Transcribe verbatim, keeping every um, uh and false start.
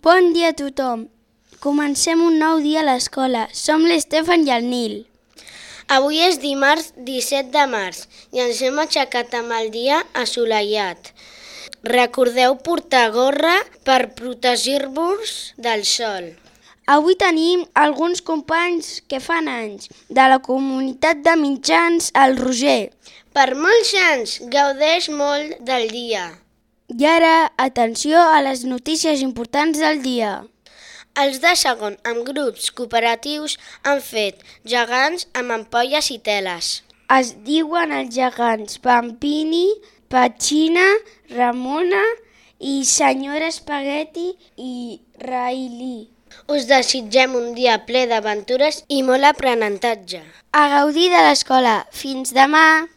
Bon dia a tothom. Comencem un nou dia a l'escola. Som l'Estefan i el Nil. Avui és dimarts disset de març i ens hem aixecat amb el dia assolellat. Recordeu portar gorra per protegir-vos del sol. Avui tenim alguns companys que fan anys de la comunitat de mitjans al Roger. Per molts anys, gaudeix molt del dia. I ara, atenció a les notícies importants del dia. Els de segon, amb grups cooperatius, han fet gegants amb ampolles i teles. Es diuen els gegants Pampini, Petxina, Ramona i senyora Espagueti i Railí. Us desitgem un dia ple d'aventures i molt aprenentatge. A gaudir de l'escola. Fins demà!